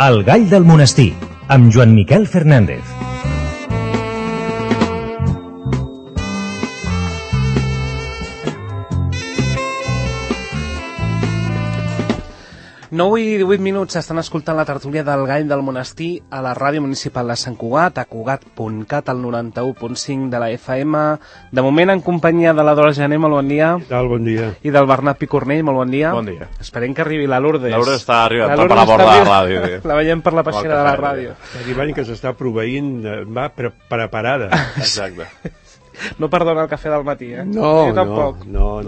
El gall del monestir, amb Joan Miquel Fernández. Nou i 18 minuts estan escoltant la tertúlia del Gall del Monestir a la Ràdio Municipal de Sant Cugat, a cugat.cat, al 91.5 de la FM. De moment en companyia de la Dora Gené, molt bon dia. Què tal, bon dia. I del Bernat Picornell, molt bon dia. Bon dia. Esperem que arribi la Lourdes. La Lourdes està arribant per la porta de la ràdio. La veiem per la peixera de la ràdio. Està arribant que s'està proveint, va preparada. Exacte. No perdona el cafè del matí, eh? No, jo tampoc. no.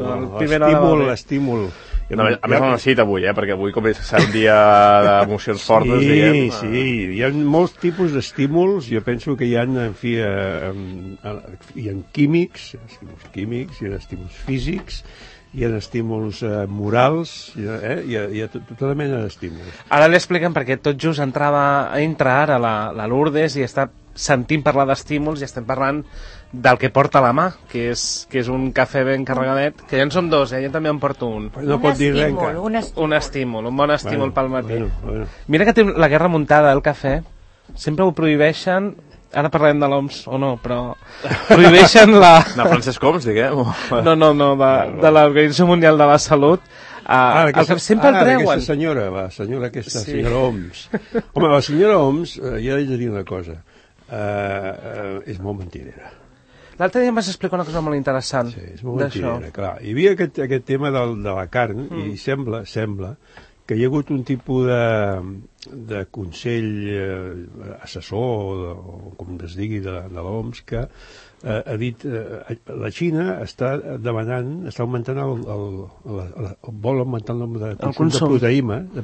L'estímul. A més ho necessita avui, perquè avui com és un dia d'emocions fortes, diguem. Sí, hi ha molts tipus d'estímuls. Jo penso que hi ha, en fi, hi ha químics, hi ha estímuls físics, hi ha estímuls morals, hi ha tota mena d'estímuls. Ara li expliquem perquè tot just entra ara la Lourdes i està sentint parlar d'estímuls i estem parlant del que porta a la mà, que és un cafè ben carregadet, que ja en som dos, jo també en porto un. No pot dir res encara. Un estímul, un bon estímul pel matí. Bueno. Mira que té la guerra muntada, el cafè. Sempre ho prohibeixen, ara parlem de l'OMS o no, però prohibeixen la... De Francesc Homs, diguem? No, de l'Organització Mundial de la Salut. Sempre el treuen. Aquesta senyora, senyora Homs. Home, la senyora Homs, ja he de dir una cosa, és molt mentirera. L'altre dia em vas explicar una cosa molt interessant. Sí, és molt mentirera, clar. Hi havia aquest tema de la carn i sembla que hi ha hagut un tipus de consell assessor, o com es digui, de l'OMS, que ha dit la Xina està augmentant vol augmentar el nombre de consum de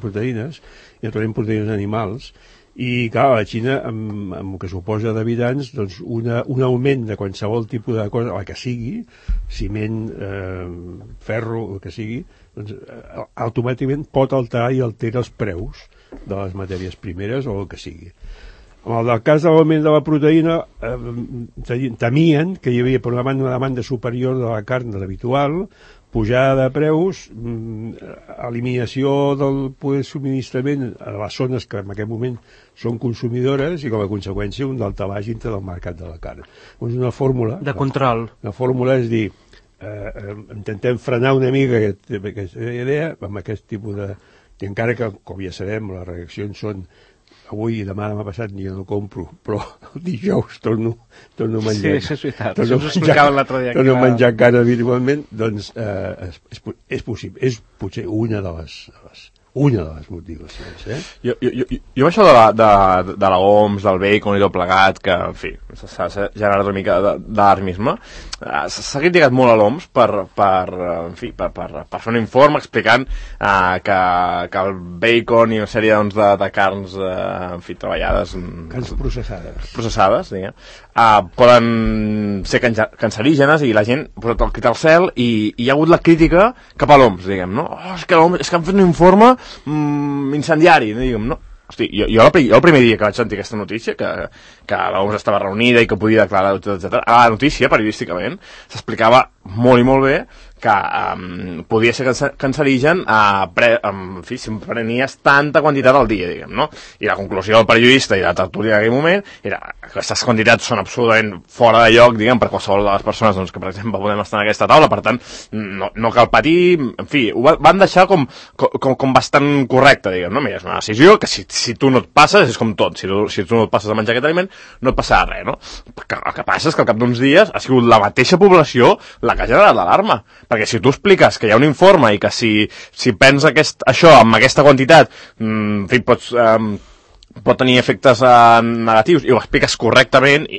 proteïnes, i naturalment proteïnes animals, i clar, la Xina, amb el que suposa d'habitants, doncs un augment de qualsevol tipus de cosa, el que sigui, ciment, ferro, el que sigui, doncs automàticament pot alterar i altera els preus de les matèries primeres o el que sigui. En el cas de l'augment de la proteïna, temien que hi havia, per una banda, una demanda superior de la carn de l'habitual, pujada de preus, eliminació del poder subministrament a les zones que en aquest moment són consumidores i com a conseqüència un daltabaix dintre del mercat de la carn. És una fórmula de control. La fórmula és dir, intentem frenar una mica aquesta idea amb aquest tipus de... I encara que, com ja sabem, les reaccions són avui i demà passat jo no compro, però el dijous torno a menjar. Sí, això és veritat. Això us explicava l'altre dia. Torno a menjar carn habitualment, doncs és possible. És potser una de les motivacions. Jo això de la OMS, del bacon i tot plegat, que, en fi, s'ha generat una mica d'alarmisme, s'ha criticat molt a l'OMS per fer un informe explicant que el bacon i una sèrie de carns, en fi, treballades... Carns processades, diguem, poden ser cancerígenes i la gent ha posat el crit al cel i hi ha hagut la crítica cap a l'OMS, diguem, no? És que han fet un informe incendiari, diguem, no? Hosti, jo el primer dia que vaig sentir aquesta notícia, que l'OMS estava reunida i que podia declarar, etc. A la notícia, periodísticament, s'explicava molt i molt bé que podia ser cancerigen en fi, si prenies tanta quantitat al dia, diguem, no? I la conclusió del periodista i la tertúlia en aquell moment era que aquestes quantitats són absolutament fora de lloc, diguem, per qualsevol de les persones doncs, que, per exemple, podem estar en aquesta taula, per tant, no cal patir, en fi, ho van deixar com bastant correcte, diguem, no? Mira, és una decisió que si tu no et passes, és com tot, si tu no et passes a menjar aquest aliment, no et passarà res, no? El que passa és que al cap d'uns dies ha sigut la mateixa població la que ha generat l'alarma. Perquè si tu expliques que hi ha un informe i que si prens això amb aquesta quantitat, en fi, pot tenir efectes negatius i ho expliques correctament,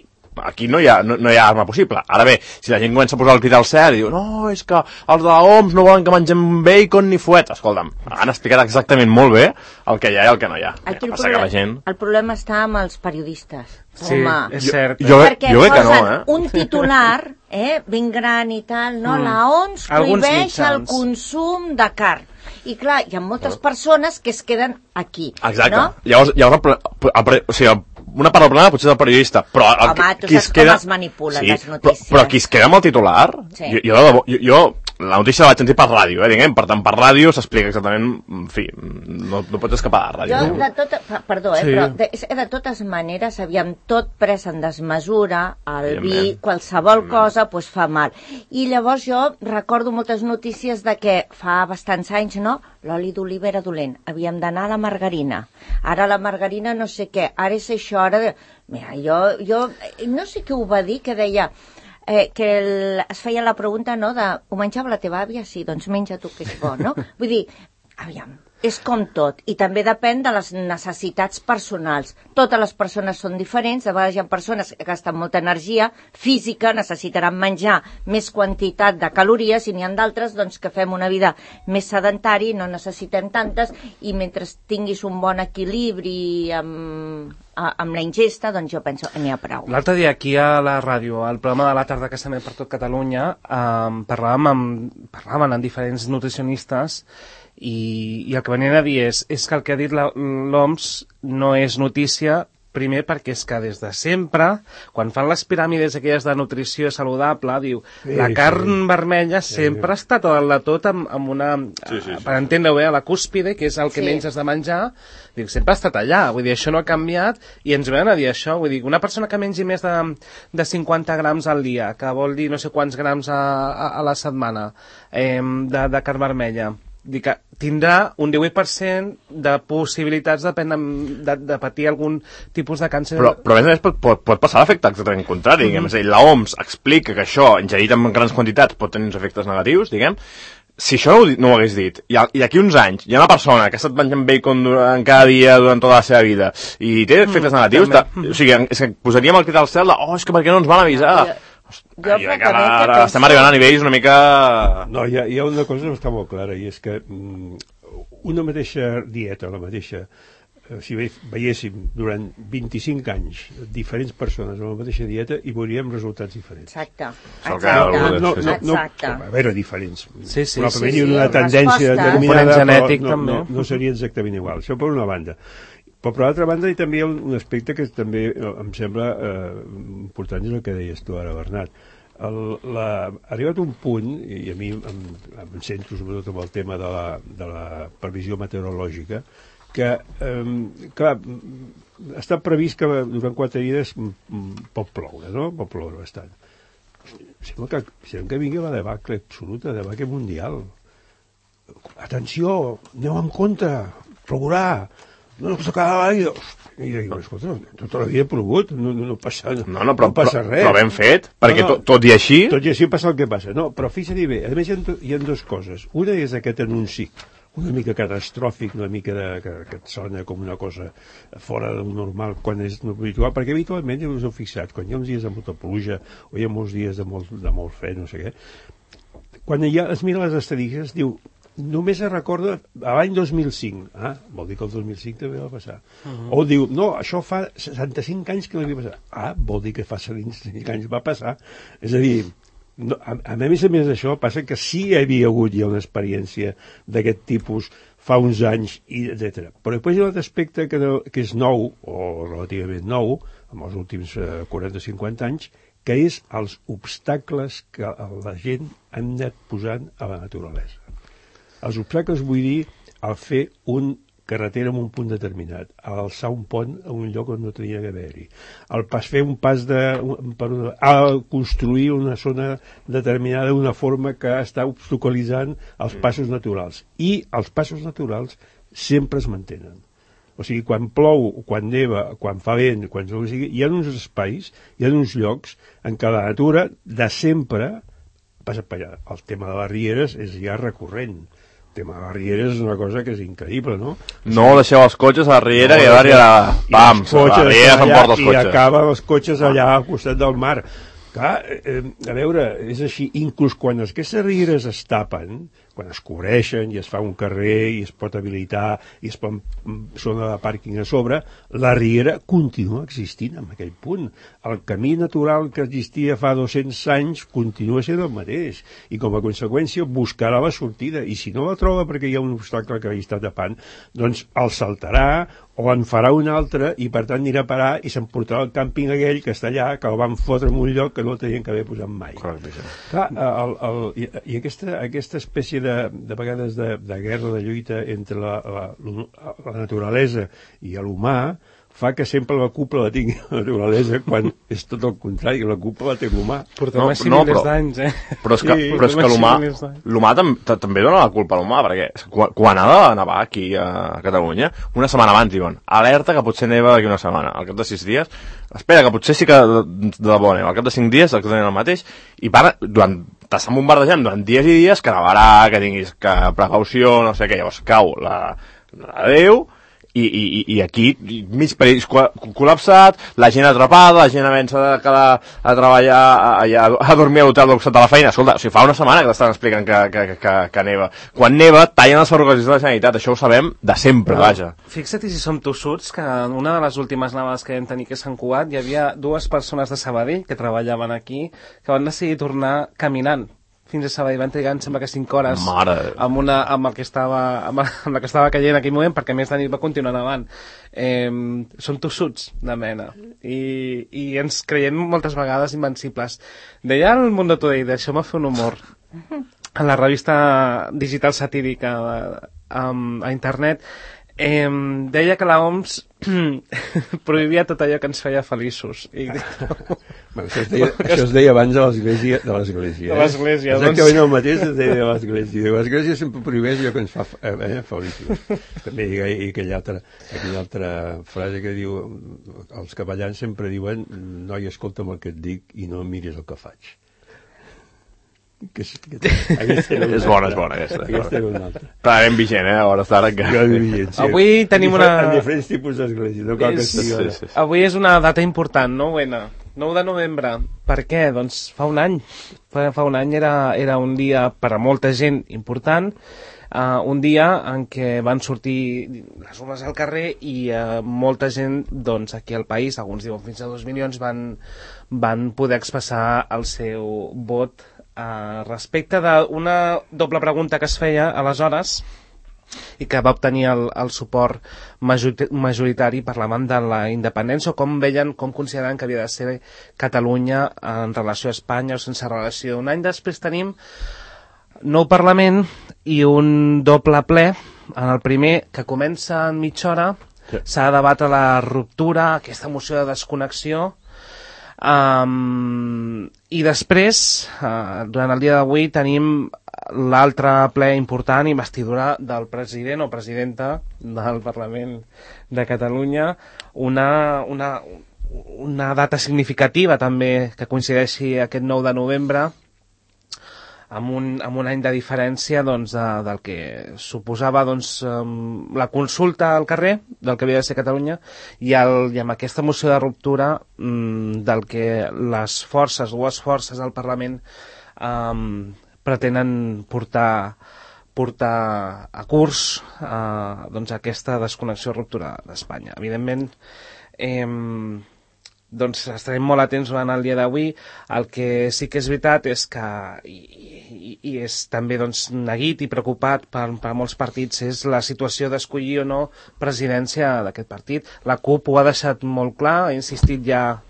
aquí no hi ha arma possible. Ara bé, si la gent comença a posar el crit al cel i diu no, és que els de l'OMS no volen que mengem bacon ni fuet, escolta'm, han explicat exactament molt bé el que hi ha i el que no hi ha. Aquí el problema està amb els periodistes. Sí, home, és cert. Perquè posen un titular ben gran i tal, no? La OMS prohibeix el consum de carn. I clar, hi ha moltes persones que es queden aquí. Exacte. No? Llavors, una part del problema potser és el periodista, però home, tu saps com es manipulen les notícies. Però qui es queda amb el titular, jo la notícia la vaig sentir per ràdio, diguem, per tant per ràdio s'explica exactament, en fi, no pots escapar de ràdio. Jo de totes maneres, aviam, tot pres en desmesura, el vi, qualsevol cosa, doncs fa mal. I llavors jo recordo moltes notícies de que fa bastants anys, no?, l'oli d'oliva era dolent, havíem d'anar a la margarina. Ara la margarina no sé què, ara és això, ara... Mira, jo no sé què ho va dir, que deia... que es feia la pregunta, no?, de ho menjava la teva àvia? Sí, doncs menja tu, que és bo, no? Vull dir, aviam, és com tot, i també depèn de les necessitats personals. Totes les persones són diferents, de vegades hi ha persones que gasten molta energia física, necessitaran menjar més quantitat de calories, i n'hi ha d'altres doncs, que fem una vida més sedentari, no necessitem tantes, i mentre tinguis un bon equilibri amb la ingesta, doncs jo penso n'hi ha prou. L'altre dia aquí a la ràdio, al programa de la tarda que s'emet per tot Catalunya, parlaven amb diferents nutricionistes i el que venien a dir és que el que ha dit l'OMS no és notícia, primer perquè és que des de sempre, quan fan les piràmides aquelles de nutrició saludable, diu, la carn vermella sempre ha estat a dalt de tot amb una... Per entendre-ho bé, a la cúspide, que és el que menys has de menjar, diu, sempre ha estat allà, vull dir, això no ha canviat, i ens venen a dir això, vull dir, una persona que mengi més de 50 grams al dia, que vol dir no sé quants grams a la setmana de carn vermella, dir que tindrà un 18% de possibilitats de patir algun tipus de càncer. Però a més a més pot passar l'efecte exactament contrari, diguem. És a dir, l'OMS explica que això, ingerit en grans quantitats, pot tenir uns efectes negatius, diguem. Si això no ho hagués dit, i d'aquí uns anys hi ha una persona que ha estat menjant bacon cada dia durant tota la seva vida i té efectes negatius, o sigui, és que posaríem el crit al cel de, és que per què no ens van avisar? Jo crec que ara estem arribant a nivells una mica... No, hi ha una cosa que està molt clara, i és que una mateixa dieta, la mateixa, si veiéssim durant 25 anys diferents persones amb la mateixa dieta, hi veuríem resultats diferents. Exacte. A veure, diferents. Probablement hi ha una tendència determinada, però no seria exactament igual. Això per una banda. Però per l'altra banda, també hi ha un aspecte que també em sembla important, és el que deies tu ara, Bernat. Ha arribat un punt, i a mi em centro sobretot amb el tema de la previsió meteorològica, que, clar, està previst que durant 4 dies pot ploure, no? Pot ploure bastant. Sembla que vingui la debacle absoluta, debacle mundial. Atenció, aneu en compte, plourà. No s'acaba l'aigua. I dic, escolta, tota la vida he plogut, no passa res. Però ben fet, perquè tot i així... Tot i així passa el que passa. No, però fixa't bé, a més hi ha dues coses. Una és aquest anunci, una mica catastròfic, una mica que et sona com una cosa fora del normal, quan és habitual, perquè habitualment, ja us heu fixat, quan hi ha uns dies de molta pluja, o hi ha molts dies de molt fred, no sé què, quan es mira les estadístiques, diu, només es recorda a l'any 2005. Vol dir que el 2005 també va passar. O diu, no, això fa 65 anys que no havia passat. Vol dir que fa 65 anys va passar. És a dir, a més d'això, passa que sí hi havia hagut ja una experiència d'aquest tipus fa uns anys, etc. Però després hi ha un altre aspecte que és nou, o relativament nou, en els últims 40-50 anys, que és els obstacles que la gent ha anat posant a la naturalesa. Els obstacles vull dir al fer una carretera en un punt determinat, a alçar un pont a un lloc on no tenia que haver-hi, fer un pas a construir una zona determinada d'una forma que està obstaculitzant els passos naturals. I els passos naturals sempre es mantenen. O sigui, quan plou, quan neva, quan fa vent, hi ha uns espais, hi ha uns llocs en què la natura de sempre passa per allà. El tema de les rieres és ja recurrent. El tema de les rieres és una cosa que és increïble, no? No deixeu els cotxes a la riera i a la riera s'emporta els cotxes. I acaba els cotxes allà al costat del mar. Clar, a veure, és així, inclús quan aquestes rieres es tapen, quan es cobreixen i es fa un carrer i es pot habilitar i es pot zona de pàrquing a sobre, la riera continua existint en aquell punt. El camí natural que existia fa 200 anys continua sent el mateix i com a conseqüència buscarà la sortida i si no la troba perquè hi ha un obstacle que hi està tapant, doncs el saltarà o en farà un altre i per tant anirà a parar i s'emportarà el càmping aquell que està allà, que el van fotre en un lloc que no el tenien que haver posat mai. Correcte. Clar, i aquesta espècie de vegades de guerra, de lluita entre la naturalesa i l'humà fa que sempre la culpa la tingui la naturalesa quan és tot el contrari, la culpa la té l'humà. Portem així milers d'anys, Però és que l'humà també dona la culpa a l'humà, perquè quan ha de nevar aquí a Catalunya, una setmana abans diuen, alerta que potser neva d'aquí una setmana, al cap de 6 dies, espera, que potser sí que de debò neva, al cap de 5 dies exactament el mateix, i t'estan bombardejant durant dies i dies que nevarà, que tinguis precaució, no sé què, llavors cau la Déu, i aquí mig país col·lapsat, la gent atrapada, la gent havent de quedar a treballar a dormir a l'hotel d'octat de la feina. Escolta, o sigui, fa una setmana que t'estan explicant que neva. Quan neva, tallen les ferrocarrils de la Generalitat, això ho sabem de sempre, vaja. Fixa't si som tossuts que en una de les últimes nevades que vam tenir que Sant Cugat hi havia 2 persones de Sabadell que treballaven aquí que van decidir tornar caminant fins a Sabadell, van trigar, em sembla que 5 hores amb la que estava caient en aquell moment, perquè a més de nit va continuar nevant. Són tossuts de mena i ens creiem moltes vegades invencibles. Deia el Mundo Today, deixeu-me fer un humor, en la revista digital satírica a internet, deia que l'OMS prohibia tot allò que ens feia feliços. Bueno, això es deia abans de l'Església. De l'Església. Exactament el mateix es deia de l'Església. L'Església sempre prohibeix allò que ens fa feliços. També hi ha aquella altra frase que diu, els capellans sempre diuen, noi, escolta'm el que et dic i no miris el que faig. És bona aquesta. Aquesta era una altra. Està ben vigent, a hores d'ara encara. Avui tenim en diferents tipus d'església, no cal que estigui. Avui és una data important, 9 de novembre. Per què? Doncs fa un any. Fa un any era un dia per a molta gent important, un dia en què van sortir les urnes al carrer i molta gent, doncs, aquí al país, alguns diuen fins a 2 milions, van poder expressar el seu vot respecte d'una doble pregunta que es feia aleshores i que va obtenir el suport majoritari, parlaven de la independència o com consideraven que havia de ser Catalunya en relació a Espanya o sense relació. Un any després tenim nou Parlament i un doble ple. En el primer, que comença en mitja hora, s'ha de debatre la ruptura, aquesta moció de desconnexió. I després, durant el dia d'avui, tenim l'altre ple important, investidura del president o presidenta del Parlament de Catalunya, una data significativa també que coincideixi aquest 9 de novembre amb un any de diferència, doncs, del que suposava, doncs, la consulta al carrer del que havia de ser Catalunya i amb aquesta moció de ruptura del que les dues forces del Parlament pretenen portar a curs doncs, aquesta desconnexió o ruptura d'Espanya. Evidentment, doncs estarem molt atents durant el dia d'avui. El que sí que és veritat és que, i és també doncs, neguit i preocupat per molts partits, és la situació d'escollir o no presidència d'aquest partit. La CUP ho ha deixat molt clar, ha insistit ja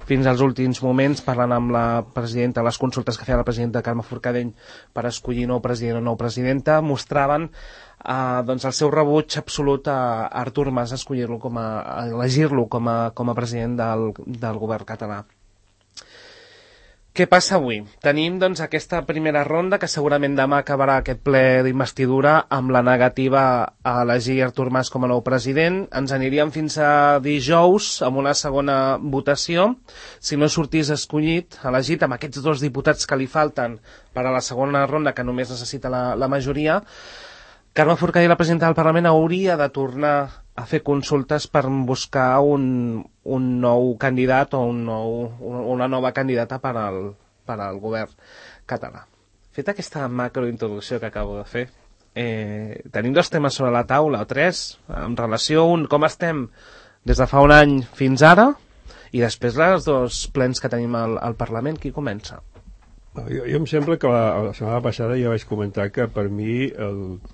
fins als últims moments, parlant amb la presidenta, les consultes que feia la presidenta Carme Forcadell per escollir nou president o nou presidenta, mostraven doncs el seu rebuig absolut a Artur Mas, elegir-lo com a president del govern català. Què passa avui? Tenim doncs aquesta primera ronda que segurament demà acabarà aquest ple d'investidura amb la negativa a elegir Artur Mas com a nou president. Ens aniríem fins a dijous amb una segona votació. Si no sortís elegit amb aquests 2 diputats que li falten per a la segona ronda, que només necessita la majoria, Carme Forcadell, la presidenta del Parlament, hauria de tornar a fer consultes per buscar un nou candidat o una nova candidata per al govern català. Feta aquesta macrointroducció que acabo de fer, tenim 2 temes sobre la taula, o 3, en relació a com estem des de fa un any fins ara, i després els 2 plens que tenim al Parlament. Qui comença? Jo em sembla que la setmana passada ja vaig comentar que per mi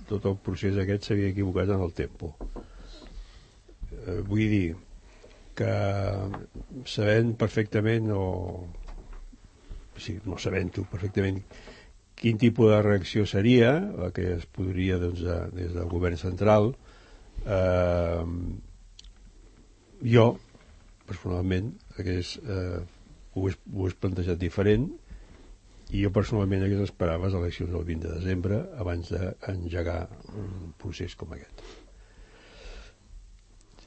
tot el procés aquest s'havia equivocat en el tempo. Vull dir que sabent perfectament no sabent-ho perfectament quin tipus de reacció seria la que es podria des del govern central, jo personalment ho he plantejat diferent, i jo personalment hagués esperat les eleccions del 20 de desembre abans d'engegar un procés com aquest.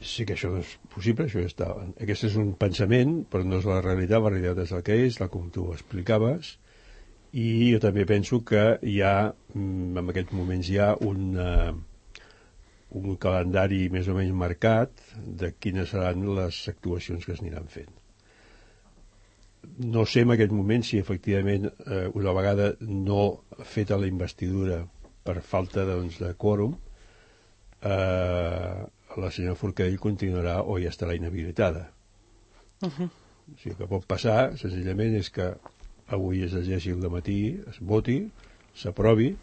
Sí que això no és possible, això ja està. Aquest és un pensament, però no és la realitat és el que és, com tu ho explicaves, i jo també penso que hi ha, en aquests moments hi ha un calendari més o menys marcat de quines seran les actuacions que es aniran fent. No sé en aquest moment si efectivament una vegada no feta la investidura per falta de quòrum, la senyora Forcadell continuarà o ja estarà inhabilitada. O sigui, el que pot passar senzillament és que avui es llegeixi el dematí, es voti, s'aprovi,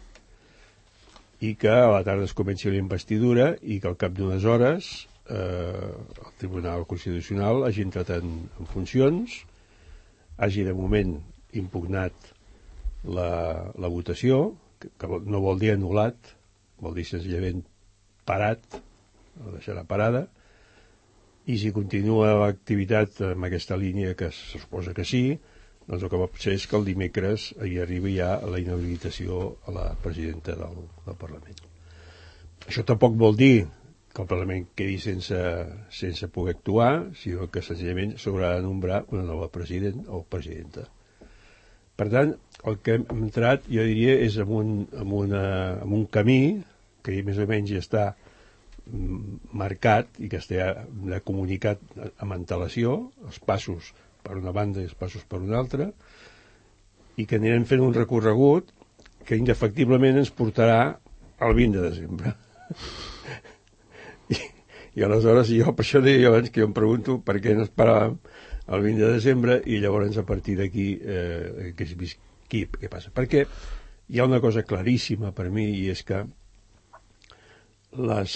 i que a la tarda es comenci la investidura i que al cap d'unes hores el Tribunal Constitucional hagi entrat en funcions, hagi de moment impugnat la votació, que no vol dir anul·lat, vol dir senzillament parat, o deixarà parada, i si continua l'activitat en aquesta línia, que se suposa que sí, doncs el que pot ser és que el dimecres hi arribi ja la inhabilitació a la presidenta del Parlament. Això tampoc vol dir que el Parlament quedi sense poder actuar, sinó que senzillament s'haurà de nombrar una nova president o presidenta. Per tant, el que hem entrat, jo diria, és en un camí que més o menys ja està marcat i que està comunicat amb antelació, els passos per una banda i els passos per una altra, i que anirem fent un recorregut que indefectiblement ens portarà al 20 de desembre. I aleshores jo, per això deia abans que jo em pregunto per què no esperàvem el 20 de desembre i llavors a partir d'aquí què passa. Perquè hi ha una cosa claríssima per mi, i és que les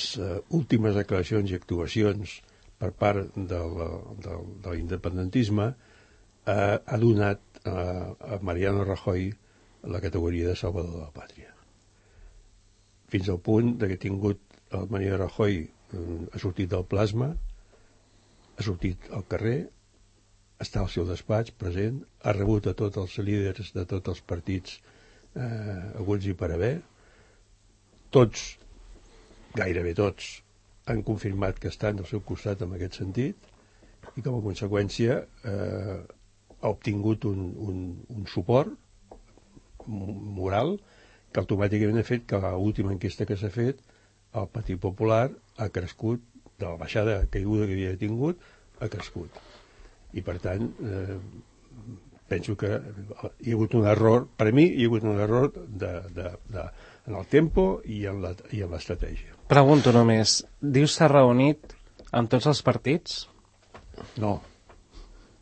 últimes declaracions i actuacions per part de l'independentisme ha donat a Mariano Rajoy la categoria de salvador de la pàtria. Fins al punt que ha tingut el Mariano Rajoy, ha sortit del plasma, ha sortit al carrer, està al seu despatx present, ha rebut a tots els líders de tots els partits haguts i per haver, tots, gairebé tots, han confirmat que estan al seu costat en aquest sentit, i com a conseqüència ha obtingut un suport moral que automàticament ha fet que l'última enquesta que s'ha fet el Partit Popular ha crescut, de la baixada caiguda que havia tingut, ha crescut. I per tant penso que hi ha hagut un error, per mi hi ha hagut un error en el tempo i en l'estratègia. Pregunto només, dius s'ha reunit amb tots els partits? No,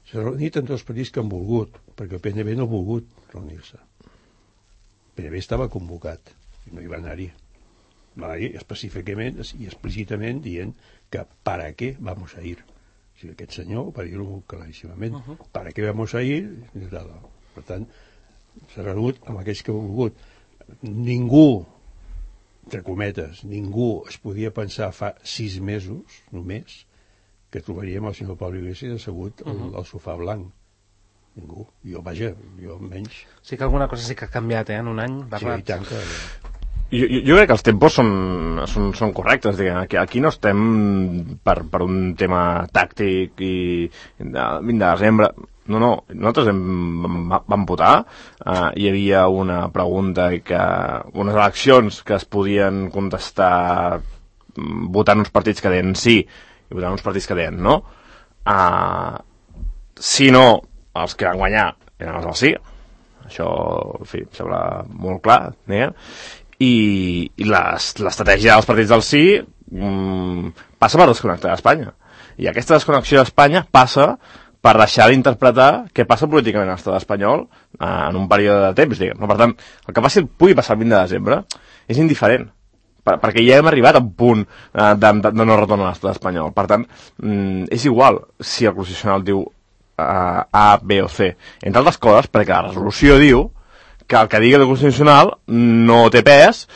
s'ha reunit amb tots els partits que han volgut, perquè el PNB no ha volgut reunir-se. El PNB estava convocat i no hi va anar-hi. Va anar-hi específicament i explícitament dient que ¿para qué vamos a ir? O sigui, aquest senyor va dir-ho claríssimament. ¿Para qué vamos a ir? Per tant, s'ha reunit amb aquells que ha volgut. Ningú, entre cometes, ningú es podia pensar fa 6 mesos, només, que trobaríem el senyor Pablo Iglesias assegut al sofà blanc. Ningú. Jo menys. Sí que alguna cosa sí que ha canviat, en un any. Sí, i tant que... Jo crec que els tempos són correctes. Aquí no estem per un tema tàctic i de 20 de desembre. No, nosaltres vam votar, hi havia una pregunta i que unes eleccions que es podien contestar votant uns partits que deien sí i votant uns partits que deien no. Si no, els que van guanyar eren els del sí, això, en fi, em sembla molt clar, i l'estratègia dels partits del sí passa per desconnectar Espanya. I aquesta desconnexió d'Espanya passa per deixar d'interpretar què passa políticament a l'estat espanyol en un període de temps, diguem. Per tant, el que pugui passar el 20 de desembre és indiferent, perquè ja hem arribat a un punt de no retorn a l'estat espanyol. Per tant, és igual si el Constitucional diu A, B o C. Entre altres coses, perquè la resolució diu que el que digui el Constitucional no té pes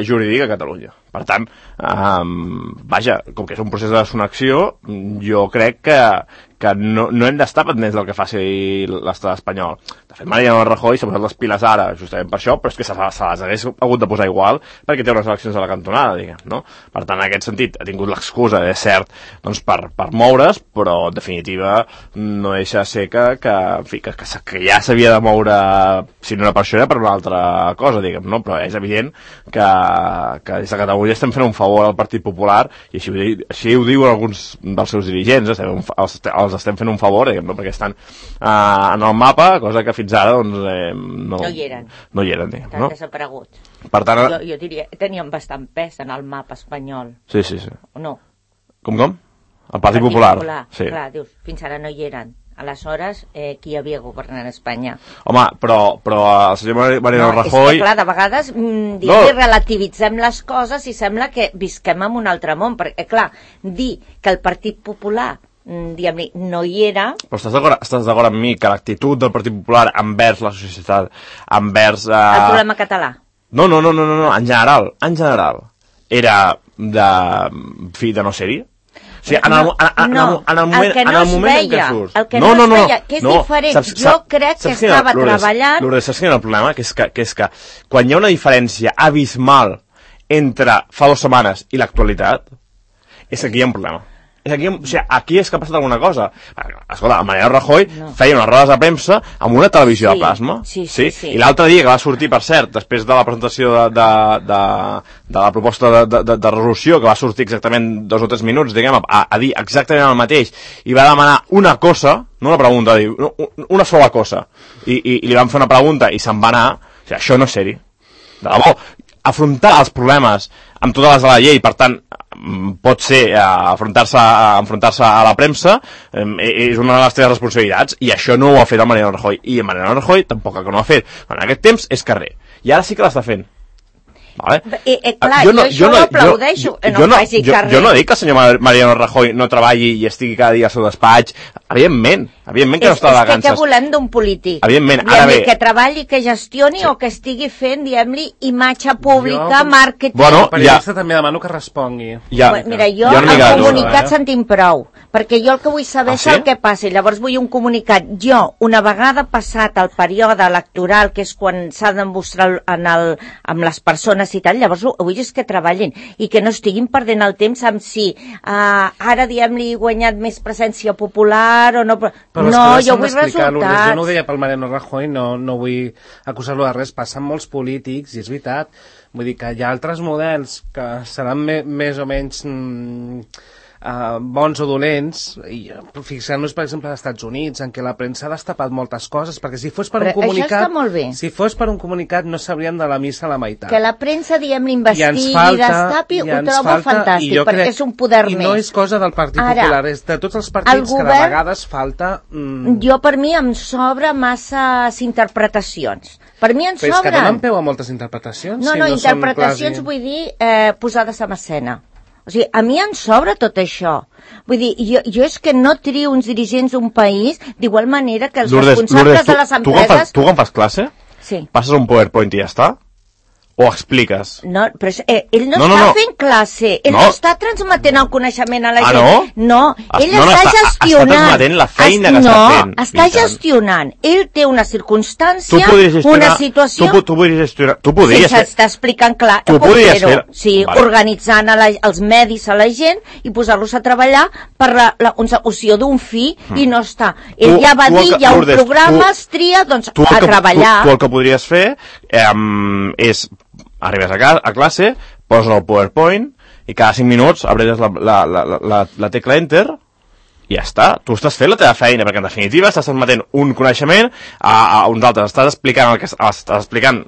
jurídic a Catalunya. Per tant, vaja, com que és un procés de desconnexió, jo crec que no hem d'estar pendents del que faci l'estat espanyol. De fet, Mariano Rajoy s'ha posat les piles ara, justament per això, però és que se les hagués hagut de posar igual perquè té unes eleccions a la cantonada, diguem, no? Per tant, en aquest sentit, ha tingut l'excusa, és cert, doncs per moure's, però en definitiva no deixa de ser que ja s'havia de moure, si no era per això, era per una altra cosa, diguem, no? Però és evident que des de Catalunya estem fent un favor al Partit Popular, i així ho diuen alguns dels seus dirigents, els estem fent un favor, diguem, no? Perquè estan en el mapa, cosa que fins ara doncs, no hi eren, diguem, no? Desaparegut. Per tant, jo diria, tenien bastant pes en el mapa espanyol. Sí. O no? Com? El Partit Popular. Sí. Clar, dius, fins ara no hi eren. Aleshores, qui havia governat Espanya? Home, però el senyor Mariano Rajoy... És que, clar, de vegades relativitzem les coses i sembla que visquem en un altre món, perquè, clar, dir que el Partit Popular diguem-li, no hi era... Però estàs d'acord amb mi que l'actitud del Partit Popular envers la societat, envers... El problema català? No, en general. Era de no ser-hi. O sigui, en el moment en què surts... El que no es veia, que és diferent. Jo crec que estava treballant... Lourdes, saps quin és el problema? Que és que quan hi ha una diferència abismal entre fa 2 setmanes i l'actualitat, és que aquí hi ha un problema. Aquí és que ha passat alguna cosa. Escolta, el Mariano Rajoy feia unes rodes de premsa amb una televisió de plasma. Sí. I l'altre dia que va sortir, per cert, després de la presentació de la proposta de resolució, que va sortir exactament 2 o 3 minuts, diguem, a dir exactament el mateix, i va demanar una cosa, no una pregunta, una sola cosa, i li van fer una pregunta i se'n va anar. O sigui, això no és seri. De debò, afrontar els problemes amb totes les de la llei, per tant, pot ser enfrontar-se a la premsa, és una de les teves responsabilitats, i això no ho ha fet el Mariano Rajoy, i el Mariano Rajoy tampoc que no ho ha fet. En aquest temps és carrer, i ara sí que l'està fent. Vale? Clar, jo això ho aplaudeixo, no faci carrer. Jo no dic que el senyor Mariano Rajoy no treballi i estigui cada dia al seu despatx, evidentment que no està de vacances. És que què volem d'un polític? Evidentment, ara bé... Que treballi, que gestioni o que estigui fent, diguem-li, imatge pública, màrqueting... Bueno, el periodista també demano que respongui. Mira, jo el comunicat sentim prou, perquè jo el que vull saber és el que passa, i llavors vull un comunicat. Jo, una vegada passat el període electoral, que és quan s'ha de mostrar amb les persones i tal, llavors vull és que treballin i que no estiguin perdent el temps amb si ara, diguem-li, he guanyat més presència popular o no... No, jo vull resultats. Jo no ho deia pel Mariano Rajoy, no vull acusar-lo de res, passen molts polítics, i és veritat. Vull dir que hi ha altres models que seran més o menys bons o dolents, i fixant-nos, per exemple, als Estats Units, en què la premsa ha destapat moltes coses, perquè si fos per un comunicat... Això està molt bé. Si fos per un comunicat no sabríem de la missa a la meitat. Que la premsa, diguem-li, investigui, destapi, ho trobo fantàstic, perquè és un poder més. I no és cosa del Partit Popular, és de tots els partits que de vegades falta... Jo, per mi, em sobra masses interpretacions. Per mi en sobren. Però és que donen peu a moltes interpretacions. No, interpretacions vull dir posades en escena. O sigui, a mi em sobra tot això. Vull dir, jo és que no trio uns dirigents d'un país d'igual manera que els responsables de les empreses... Tu quan fas classe? Sí. Passes un PowerPoint i ja està? O expliques? No, però ell no està fent classe, ell no està transmetent el coneixement a la gent. No, ell està gestionant. Està transmetent la feina que està fent. No, està gestionant. Ell té una circumstància, una situació... Tu podries gestionar... Tu podries fer... S'està explicant clar. Tu podries fer... Sí, organitzant els medis a la gent i posar-los a treballar per la consecució d'un fi i no està. Ell ja va dir, hi ha un programa, es tria, doncs a treballar. Tu el que podries fer és... Arribes a classe, poses el PowerPoint i cada 5 minuts abres la tecla Enter i ja està, tu estàs fent la teva feina, perquè en definitiva estàs transmetent un coneixement a uns altres, estàs explicant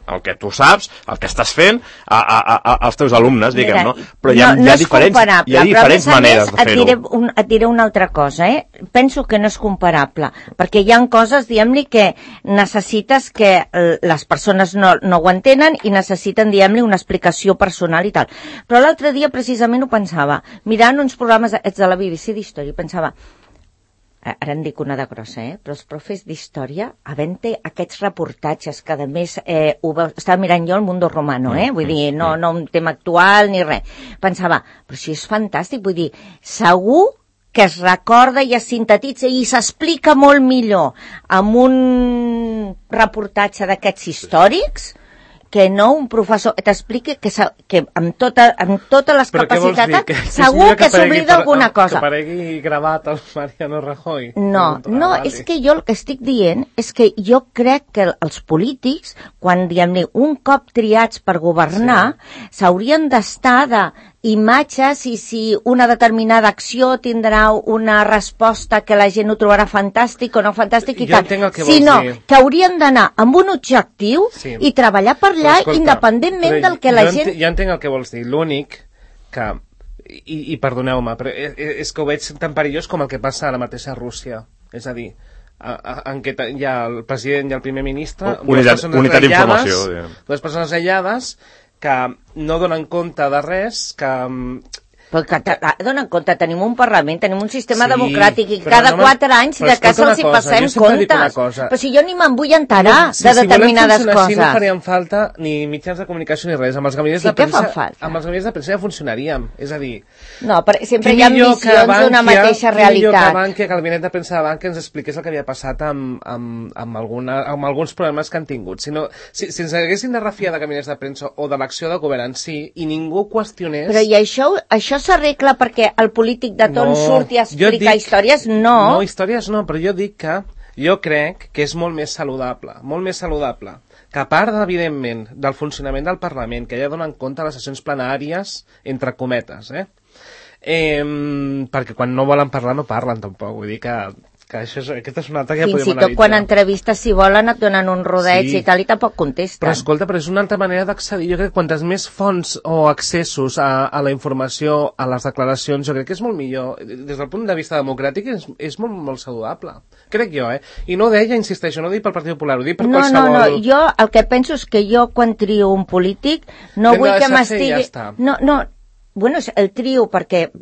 el que tu saps, el que estàs fent als teus alumnes, diguem, no? Però hi ha diferents maneres de fer-ho. Et diré una altra cosa, penso que no és comparable, perquè hi ha coses, diguem-li, que necessites que les persones no ho entenen i necessiten, diguem-li, una explicació personal i tal. Però l'altre dia precisament ho pensava, mirant uns programes de la BBC d'història, pensava, ara en dic una de grossa, però els profes d'història, havent-hi aquests reportatges que, a més, estava mirant jo el Mundo Romano, vull dir, no un tema actual ni res. Pensava, però si és fantàstic, vull dir, segur que es recorda i es sintetitza i s'explica molt millor amb un reportatge d'aquests històrics que no un professor t'expliqui que amb totes les capacitats segur que s'oblida alguna cosa. Que aparegui gravat el Mariano Rajoy. No, és que jo el que estic dient és que jo crec que els polítics, quan diguem-ne un cop triats per governar, s'haurien d'estar d'imatges i si una determinada acció tindrà una resposta que la gent ho trobarà fantàstic o no fantàstic i tal, sinó que haurien d'anar amb un objectiu i treballar per allà independentment del que la gent... Jo entenc el que vols dir, l'únic que... I perdoneu-me, però és que ho veig tan perillós com el que passa ara mateix a Rússia. És a dir, en què hi ha el president i el primer ministre, unitat d'informació, dues persones aïllades que no donen compte de res, que... Però que donen compte, tenim un Parlament, tenim un sistema democràtic i cada 4 anys de casa els hi passem comptes. Però si jo ni me'n vull enterar de determinades coses. Si no farien falta ni mitjans de comunicació ni res. Amb els gabinets de premsa ja funcionaríem. És a dir... No, però sempre hi ha visions d'una mateixa realitat. Que el gabinet de premsa de Bankia ens expliqués el que havia passat amb alguns problemes que han tingut. Si ens haguessin de refiar de gabinets de premsa o de l'acció de govern en si i ningú qüestionés... Però i això s'arregla perquè el polític de torn surt i explica històries? No, històries no, però jo dic que jo crec que és molt més saludable, que a part, evidentment, del funcionament del Parlament, que ja donen compte a les sessions plenàries, entre cometes, perquè quan no volen parlar no parlen tampoc, vull dir que aquesta és una altra que ja podem analitzar. Fins i tot quan entrevistes, si volen, et donen un rodeig i tal, i tampoc contesten. Però escolta, és una altra manera d'accedir. Jo crec que quantes més fonts o accessos a la informació, a les declaracions, jo crec que és molt millor. Des del punt de vista democràtic és molt, molt saludable. Crec jo, I no ho deia, insisteixo, no ho dic pel Partit Popular, ho dic per qualsevol... No, jo el que penso és que jo, quan trio un polític, no vull que m'estigui... Bueno, el trio perquè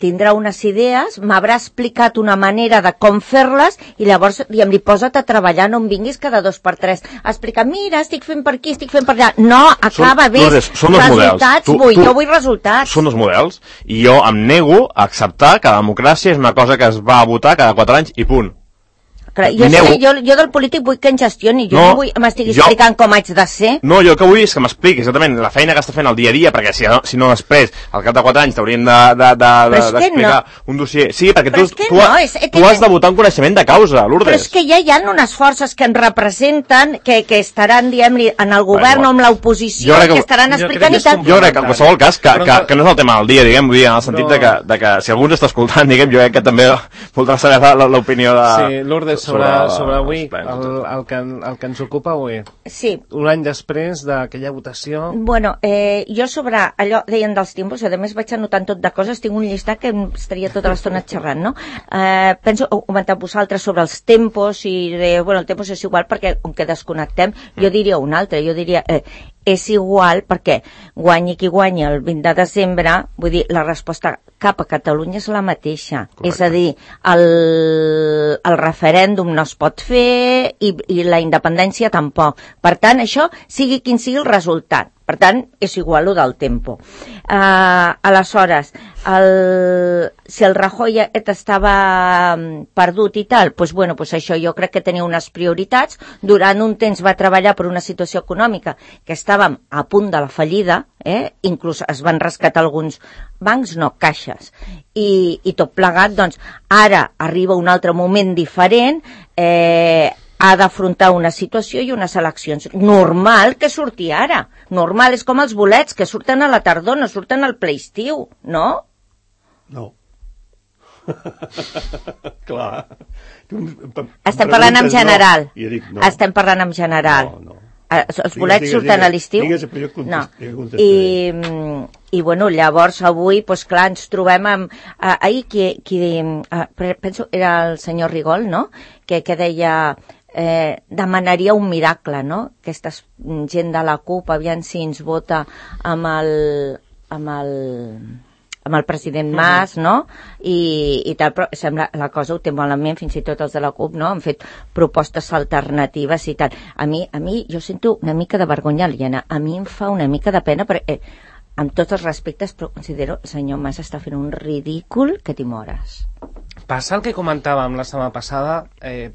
tindrà unes idees, m'haurà explicat una manera de com fer-les i llavors li posa't a treballar, no em vinguis cada 2 per 3 a explicar, mira, estic fent per aquí, estic fent per allà. No, acaba bé, resultats jo vull resultats. Són dos models i jo em nego a acceptar que la democràcia és una cosa que es va a votar cada 4 anys i punt. Jo del polític vull que em gestioni, jo no vull m'estigui explicant com haig de ser. No, jo el que vull és que m'expliqui exactament la feina que està fent el dia a dia, perquè si no després, al cap de 4 anys, t'haurien d'explicar un dossier. Sí, perquè tu has de votar un coneixement de causa, Lourdes. Però és que ja hi ha unes forces que ens representen, que estaran, diguem-li, en el govern o amb l'oposició, que estaran explicant i tal. Jo crec que en qualsevol cas, que no és el tema del dia, diguem, en el sentit de que si algú ens està escoltant, diguem, jo crec que també voldrà saber l'opinió de... Sí, Lourdes, sobre avui, el que ens ocupa avui. Sí. Un any després d'aquella votació... Bueno, jo sobre allò, deien dels tiempos, a més vaig anotant tot de coses, tinc un llistat que em estaria tota l'estona xerrant, no? Penso, ho comenteu vosaltres sobre els tempos i el tempos és igual perquè com que desconnectem, jo diria un altre, jo diria... és igual perquè guanyi qui guanyi el 20 de desembre, vull dir, la resposta cap a Catalunya és la mateixa. Correcte. És a dir, el referèndum no es pot fer i la independència tampoc. Per tant, això sigui quin sigui el resultat. Per tant, és igual lo del tempo. Aleshores, si el Rajoy estava perdut i tal, doncs això jo crec que tenia unes prioritats. Durant un temps va treballar per una situació econòmica que estàvem a punt de la fallida, inclús es van rescatar alguns bancs, no, caixes. I tot plegat, doncs, ara arriba un altre moment diferent, ha d'afrontar una situació i unes eleccions. Normal que surti ara. Normal, és com els bolets, que surten a la tardor, no surten al ple estiu, no? No. Clar. Estem parlant en general. No. Dic, no. Estem parlant en general. No. Els bolets surten a l'estiu? Digues, però jo contestaré. I bueno, llavors avui, doncs clar, ens trobem amb... ahir, penso, era el senyor Rigol, no?, que deia... demanaria un miracle, no?, aquesta gent de la CUP, aviam si ens vota amb el president Mas, no?, i tal, però sembla la cosa ho té malament, fins i tot els de la CUP, no?, han fet propostes alternatives i tal. A mi jo sento una mica de vergonya aliena, a mi em fa una mica de pena, perquè amb tots els respectes, però considero el senyor Mas està fent un ridícul que t'hi mores. Passa el que comentàvem la setmana passada,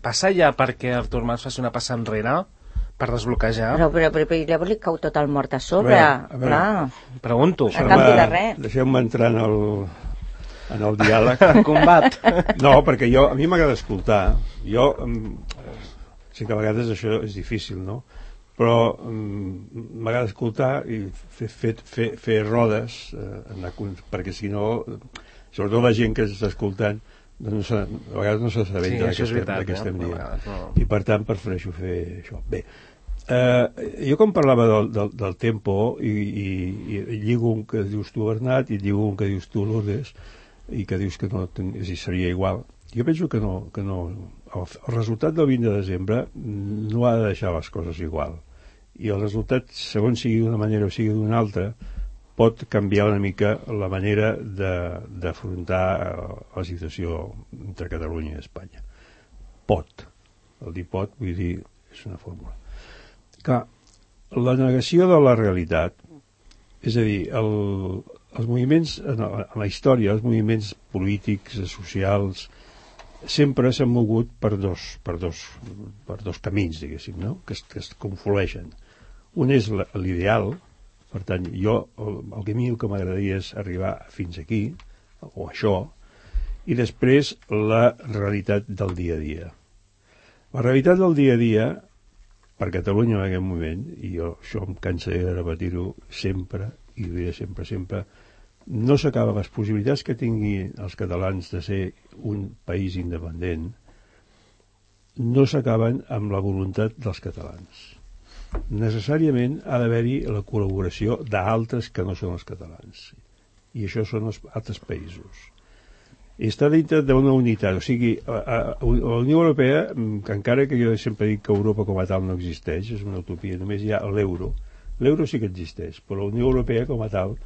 passa ja perquè Artur Mas faci una passa enrere per desbloquejar? Però llavors li cau tot el mort a sobre. A veure. Pregunto. A canvi de res. Deixeu-me entrar en el diàleg. En combat. No, perquè a mi m'agrada escoltar. Jo sé que a vegades això és difícil, no? Però m'agrada escoltar i fer rodes, perquè si no, sobretot la gent que està escoltant, doncs a vegades no s'assabenta de què estem dient. I per tant prefereixo fer això. Bé, jo com parlava del tempo i lligo un que dius tu, Bernat, i lligo un que dius tu, Lourdes, i que dius que no seria igual, jo penso que no. El resultat del 20 de desembre no ha de deixar les coses igual, i el resultat, segons sigui d'una manera o sigui d'una altra, pot canviar una mica la manera d'afrontar la situació entre Catalunya i Espanya. Pot. El dir pot, vull dir, és una fórmula. Clar, la negació de la realitat, és a dir, els moviments, en la història, els moviments polítics, socials, sempre s'han mogut per dos camins, diguéssim, no?, que es conflueixen. Un és l'ideal. Per tant, el que m'agradaria és arribar fins aquí, o això, i després la realitat del dia a dia. La realitat del dia a dia, per Catalunya en aquest moment, i això em cansaré de repetir-ho sempre, i ho diré sempre, no s'acaben les possibilitats que tinguin els catalans de ser un país independent, no s'acaben amb la voluntat dels catalans. Necessàriament ha d'haver-hi la col·laboració d'altres que no són els catalans, i això són els altres països, i està dintre d'una unitat. O sigui, la Unió Europea, que encara que jo sempre dic que Europa com a tal no existeix, és una utopia, només hi ha l'euro sí que existeix, però la Unió Europea com a tal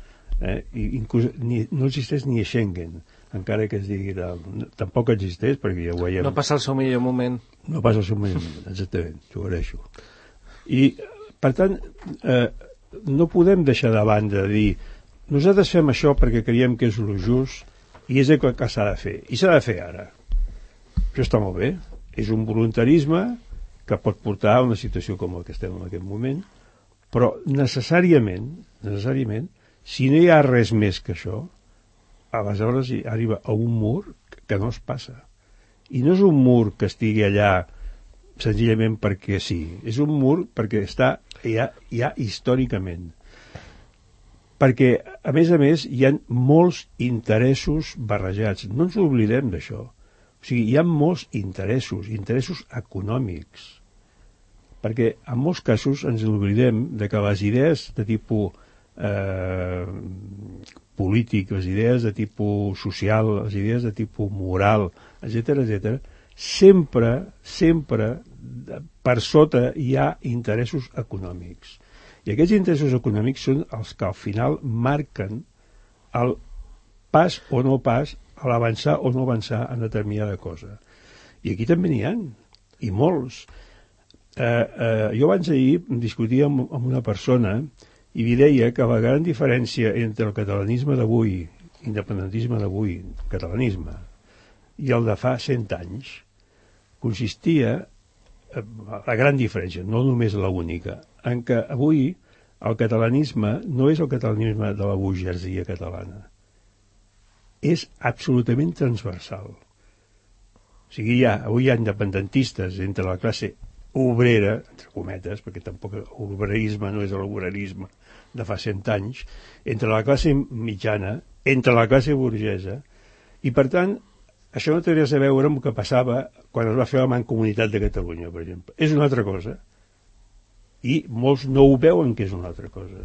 inclús no existeix ni a Schengen, encara que es digui tampoc existeix, perquè ja ho veiem. No passa el seu millor moment. No passa el seu millor moment, exactament, t'ho agraeixo. I, per tant, no podem deixar de banda de dir nosaltres fem això perquè creiem que és el just i és el que s'ha de fer. I s'ha de fer ara. Això està molt bé. És un voluntarisme que pot portar a una situació com la que estem en aquest moment, però necessàriament, si no hi ha res més que això, aleshores hi arriba a un mur que no es passa. I no és un mur que estigui allà senzillament perquè sí, és un mur perquè està ja històricament, perquè a més hi ha molts interessos barrejats, no ens oblidem d'això, o sigui, hi ha molts interessos econòmics, perquè en molts casos ens oblidem de que les idees de tipus polític, les idees de tipus social, les idees de tipus moral, etc., sempre per sota hi ha interessos econòmics. I aquests interessos econòmics són els que al final marquen el pas o no pas, a l'avançar o no avançar en determinada cosa. I aquí també n'hi ha, i molts. Jo abans d'ahir discutia amb una persona i li deia que la gran diferència entre el catalanisme d'avui, independentisme d'avui, catalanisme, i el de fa 100 anys, consistia, la gran diferència, no només l'única, en què avui el catalanisme no és el catalanisme de la burgesia catalana, és absolutament transversal. O sigui, avui hi ha independentistes entre la classe obrera, entre cometes, perquè tampoc l'obrerisme no és l'obrerisme de fa 100 anys, entre la classe mitjana, entre la classe burgesa, i per tant Això no té res a veure amb el que passava quan es va fer la Mancomunitat de Catalunya, per exemple. És una altra cosa. I molts no ho veuen que és una altra cosa.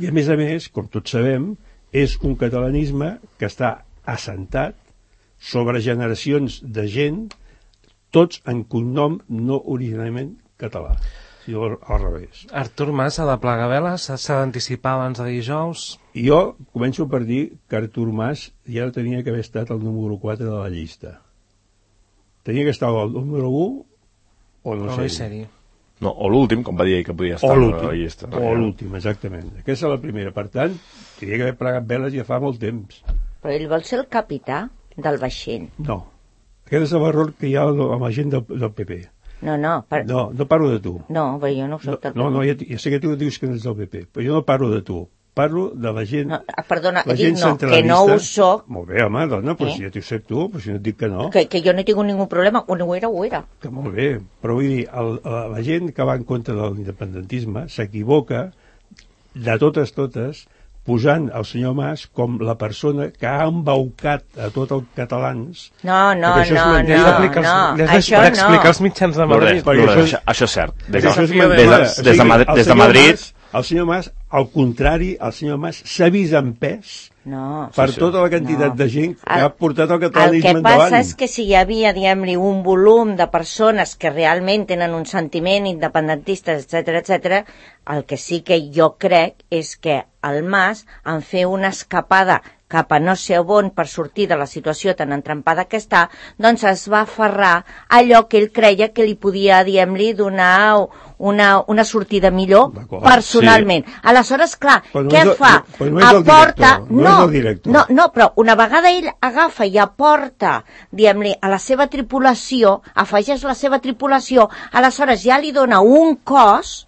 I a més, com tots sabem, és un catalanisme que està assentat sobre generacions de gent, tots en cognom no originalment català, sinó al revés. Artur Mas s'ha de plegar veles? S'ha d'anticipar abans de dijous? I jo començo per dir que Artur Mas ja no tenia que haver estat el número 4 de la llista. Tenia que estar el número 1 o no sé. No, o l'últim, com va dir ell que podia estar a la llista. O l'últim, exactament. Aquesta és la primera. Per tant, tenia que haver plegat veles ja fa molt temps. Però ell vol ser el capità del vaixell. No. Aquest és l'error que hi ha amb la gent del PP. No. No parlo de tu. No, però jo no soc del PP. No, ja sé que tu dius que no ets del PP, però jo no parlo de tu. Parlo de la gent... No, perdona, dic no, que no ho soc. Molt bé, home, dona, però si ja t'ho sé tu, però si no et dic que no... Que jo no tinc ningú problema, ho era. Que molt bé, però vull dir, la gent que va en contra de l'independentisme s'equivoca de totes, posant el senyor Mas com la persona que ha embaucat a tots els catalans. No. Això d'explicar els mitjans de Madrid. Això és cert. Des de Madrid... El senyor Mas, al contrari, el senyor Mas s'ha vist empès per tota la quantitat de gent que ha portat el catalanisme endavant. El que passa és que si hi havia, diguem-li, un volum de persones que realment tenen un sentiment independentista, etc., el que sí que jo crec és que el Mas, en fer una escapada cap a no sé on per sortir de la situació tan entrampada que està, doncs es va aferrar a allò que ell creia que li podia, diguem-li, donar una sortida millor personalment. Sí. Aleshores, clar, què fa? Aporta... No, però una vegada ell agafa i aporta, diguem-li, a la seva tripulació, afegeix la seva tripulació, aleshores ja li dona un cos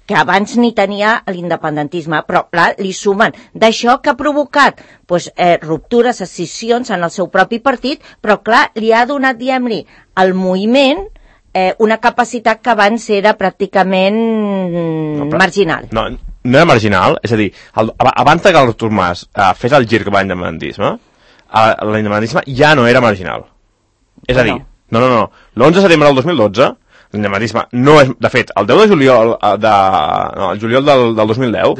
que abans ni tenia l'independentisme, però clar, li sumen d'això que ha provocat ruptures, escissions en el seu propi partit, però clar, li ha donat, diguem-li, al moviment una capacitat que abans era pràcticament marginal. No era marginal, és a dir, abans que Artur Mas fes el gir cap a l'independentisme, l'independentisme ja no era marginal. És a dir, no. L'11 de setembre del 2012 l'independentisme no és... De fet, el 10 de juliol el juliol del 2010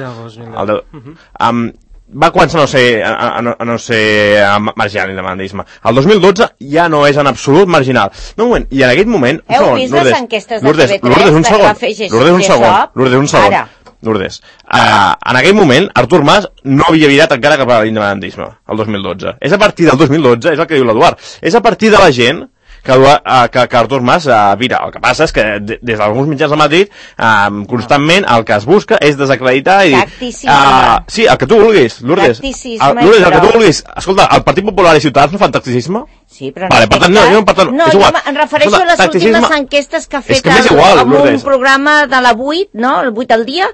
va començar a no ser marginal l'independentisme. El 2012 ja no és en absolut marginal. No, un moment, i en aquell moment... Heu vist les enquestes de TV3? Lourdes, un segon. Lourdes. En aquell moment, Artur Mas no havia virat encara cap a l'independentisme, el 2012. És a partir del 2012, és el que diu l'Eduard, és a partir de la gent que Artur Mas vira. El que passa és que des d'alguns mitjans de Madrid constantment el que es busca és desacreditar i... Tacticisme. Sí, el que tu vulguis, Lourdes. Lourdes, el que tu vulguis. Escolta, el Partit Popular i Ciutadans no fan tacticisme? Sí, però no. Per tant, no, jo em refereixo a les últimes enquestes que ha fet en un programa de la 8, no? El 8 al dia,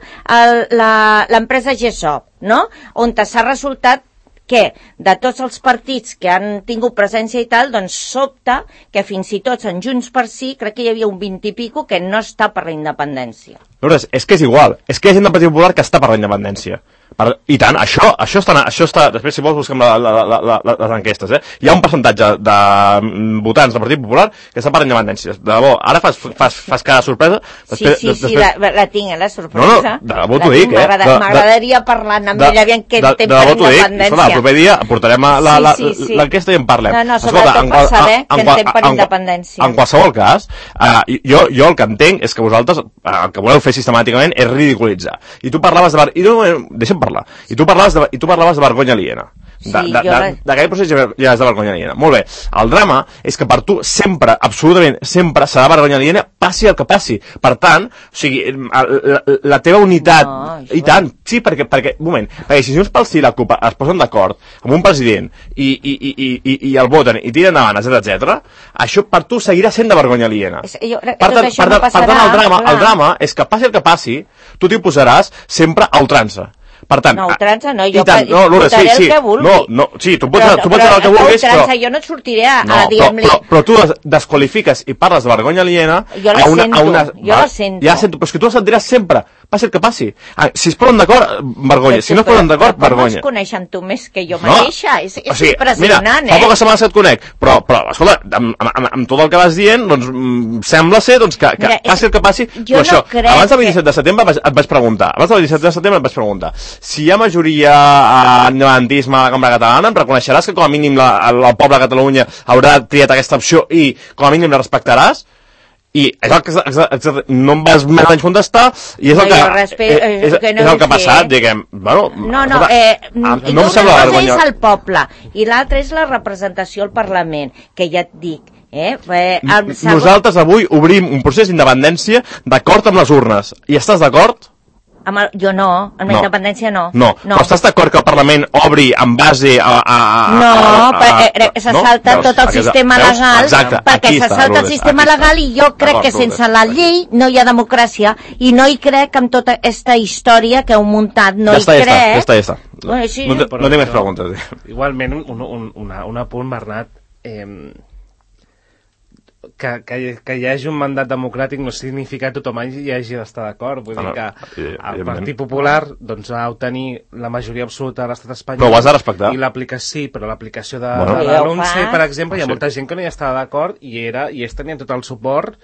l'empresa GESOP, no? On s'ha resultat que de tots els partits que han tingut presència i tal, doncs sobta que fins i tot en Junts per Sí, crec que hi havia un 20 i pico que no està per la independència. Lourdes, és que és igual, és que hi ha gent del Partit Popular que està per la independència. I tant, això està... Després, si vols, busquem les enquestes, Hi ha un percentatge de votants del Partit Popular que està per la independència. De debò, ara fas cada sorpresa... Sí, la tinc, la sorpresa. No, de debò t'ho dic, M'agradaria parlar amb ella, aviam què té per independència. El proper dia portarem l'enquesta i en parlem. No, sobretot per saber què en té per independència. En qualsevol cas, jo el que entenc és que vosaltres el que voleu fer sistemàticament és ridiculitzar. I tu parlaves de... Deixa'm parlar. I tu parlaves de vergonya aliena. D'aquell procés ja és de vergonya aliena. Molt bé. El drama és que per tu sempre, absolutament sempre, serà vergonya aliena, passi el que passi. Per tant, o sigui, la teva unitat... I tant, sí, perquè un moment, perquè si Junts pel Sí i la CUP es posen d'acord amb un president i el voten i tiren endavant, etc., això per tu seguirà sent de vergonya aliena. Per tant, el drama és que passi el que passi, tu t'hi posaràs sempre a ultrança. Per tant, no, ultrança no, jo votaré el que vulgui. Sí, tu pots dir el que vulguis, però... Jo no et sortiré a dir-li... Però tu desqualifiques i parles de vergonya aliena... Jo la sento. Ja sento, però és que tu la sentiràs sempre, passi el que passi. Si es posen d'acord, vergonya. Si no es posen d'acord, vergonya. Com es coneixen tu més que jo mateixa? És impressionant, mira, fa poques setmanes que et conec, però escolta, amb tot el que vas dient, doncs sembla ser que passi el que passi. Jo no crec abans del 27 de setembre et vaig preguntar, si hi ha majoria independentisme a la Cambra Catalana, em reconeixeràs que com a mínim el poble de Catalunya haurà triat aquesta opció i com a mínim la respectaràs? I és el que no em vas més o menys contestar i és el que ha passat, diguem. Bueno, no em sembla vergonya. És el poble i l'altre és la representació al Parlament, que ja et dic. Nosaltres avui obrim un procés d'independència d'acord amb les urnes. I estàs d'acord? Jo no, amb la independència no. No, però estàs d'acord que el Parlament obri en base se salta tot el sistema legal, perquè se salta el sistema legal i jo crec que sense la llei no hi ha democràcia i no hi crec amb tota aquesta història que heu muntat, no hi crec. Ja està. No tinc més preguntes. Igualment, un apunt, Bernat, que hi hagi un mandat democràtic no significa que tothom hi hagi d'estar d'acord. Vull dir que el Partit Popular va obtenir la majoria absoluta de l'estat espanyol. Però ho has de respectar. I però l'aplicació de l'ANUNCE, per exemple, hi ha molta gent que no hi estava d'acord i ells tenien tot el suport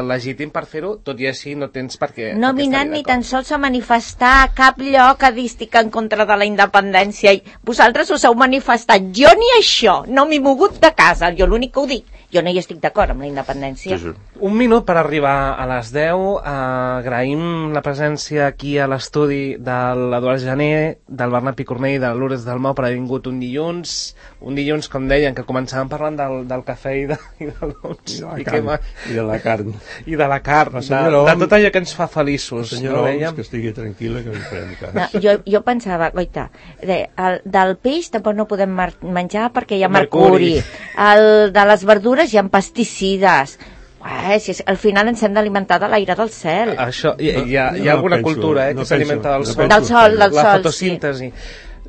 legítim per fer-ho, tot i així no tens per què. No vinen ni tan sols a manifestar a cap lloc a dir estic en contra de la independència. Vosaltres us heu manifestat. Jo ni això, no m'he mogut de casa. Jo l'únic que ho dic. Jo no hi estic d'acord amb la independència. Sí. Un minut per arribar a les 10. Agraïm la presència aquí a l'estudi de l'Eduard Jané, del Bernat Picornell i de Lourdes Dalmau per haver vingut un dilluns. Un dilluns, com deien, que començàvem parlant del cafè i del dolç. I de la carn. I de la carn, de tot allò que ens fa feliços. Senyora Oms, que estigui tranquil·la, que li farem cas. Jo pensava, goita, del peix tampoc no podem menjar perquè hi ha mercuri. El de les verdures hi ha pesticides. Al final ens hem d'alimentar de l'aire del cel. Això, hi ha alguna cultura que s'alimenta del sol. Del sol, la fotosíntesi.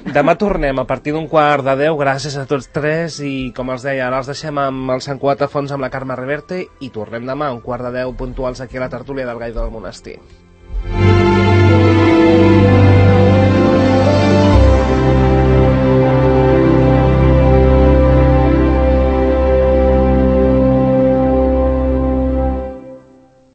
Demà tornem a partir d'un 11:15. Gràcies a tots tres i, com els deia, ara els deixem amb el Sant Cugat a fons amb la Carme Reverte i tornem demà a 11:15 puntuals aquí a la tertúlia del Gall del Monestir.